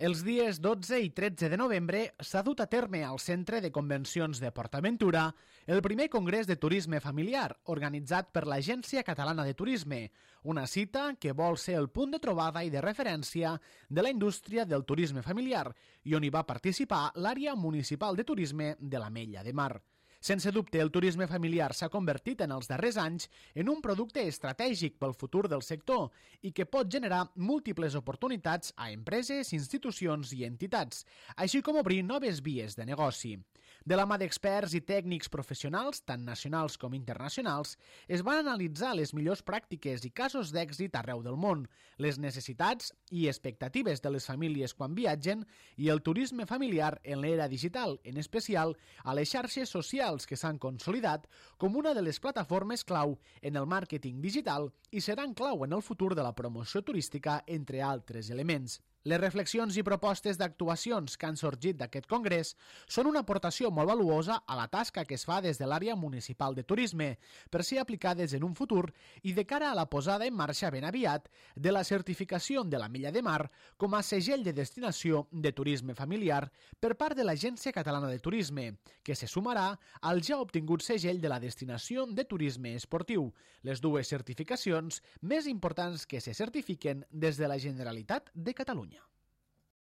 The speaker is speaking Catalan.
Els dies 12 i 13 de novembre s'ha dut a terme al Centre de Convencions de PortAventura el primer Congrés de Turisme Familiar organitzat per l'Agència Catalana de Turisme, una cita que vol ser el punt de trobada i de referència de la indústria del turisme familiar i on hi va participar l'àrea municipal de turisme de l'Ametlla de Mar. Sense dubte, el turisme familiar s'ha convertit en els darrers anys en un producte estratègic pel futur del sector i que pot generar múltiples oportunitats a empreses, institucions i entitats, així com obrir noves vies de negoci. De la mà d'experts i tècnics professionals, tant nacionals com internacionals, es van analitzar les millors pràctiques i casos d'èxit arreu del món, les necessitats i expectatives de les famílies quan viatgen i el turisme familiar en l'era digital, en especial a les xarxes socials que s'han consolidat com una de les plataformes clau en el màrqueting digital i seran clau en el futur de la promoció turística, entre altres elements. Les reflexions i propostes d'actuacions que han sorgit d'aquest congrés són una aportació molt valuosa a la tasca que es fa des de l'àrea municipal de turisme per ser aplicades en un futur i de cara a la posada en marxa ben aviat de la certificació de l'Ametlla de Mar com a segell de destinació de turisme familiar per part de l'Agència Catalana de Turisme, que se sumarà al ja obtingut segell de la destinació de turisme esportiu, les dues certificacions més importants que se certifiquen des de la Generalitat de Catalunya.